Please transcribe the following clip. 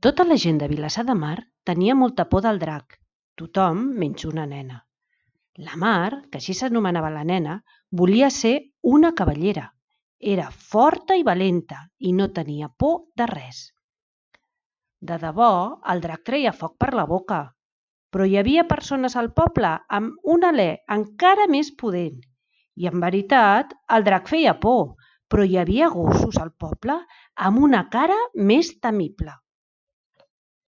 Tota la gent de Vilassar de Mar tenia molta por del drac, tothom menys una nena. La Mar, que així s'anomenava la nena, volia ser una cavallera. Era forta i valenta i no tenia por de res. De debò, el drac treia foc per la boca, però hi havia persones al poble amb un alè encara més pudent. I en veritat, el drac feia por, però hi havia gossos al poble amb una cara més temible.